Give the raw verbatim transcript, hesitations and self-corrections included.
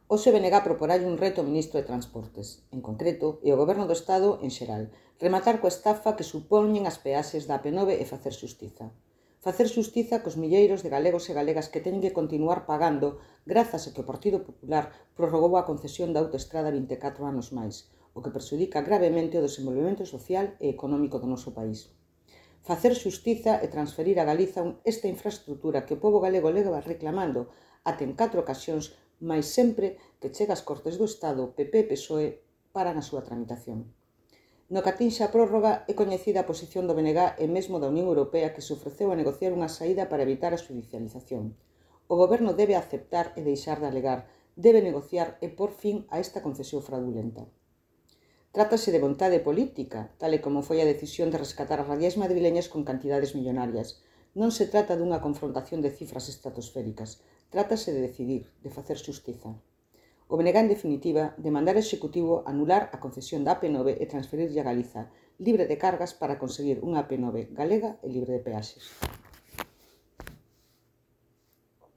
Hoxe B N G proporalle un reto ao ministro de Transportes, en concreto, e ao Goberno do Estado en xeral, rematar coa estafa que supoñen as peaxes da A P nove e facer xustiza. Facer xustiza cos milleiros de galegos e galegas que teñen que continuar pagando grazas a que o Partido Popular prorrogou a concesión da autoestrada vinte e catro anos máis, o que perxudica gravemente o desenvolvemento social e económico do noso país. Facer xustiza e transferir a Galiza esta infraestructura que o pobo galego leva reclamando até en catro ocasións, mais sempre que chega ás Cortes do Estado, P P e P S O E paran a súa tramitación. No que atinxe a prórroga é coñecida a posición do B N G e mesmo da Unión Europea que se ofreceu a negociar unha saída para evitar a xudicialización. O Goberno debe aceptar e deixar de alegar, debe negociar e por fin a esta concesión fraudulenta. Trátase de vontade política, tal e como foi a decisión de rescatar as radiais madrileñas con cantidades millonarias. Non se trata dunha confrontación de cifras estratosféricas, trátase de decidir, de facer xustiza. O B N G, en definitiva, demandar ao Executivo anular a concesión da A P nove e transferirlle a Galiza, libre de cargas para conseguir unha A P nove galega e libre de peaxes.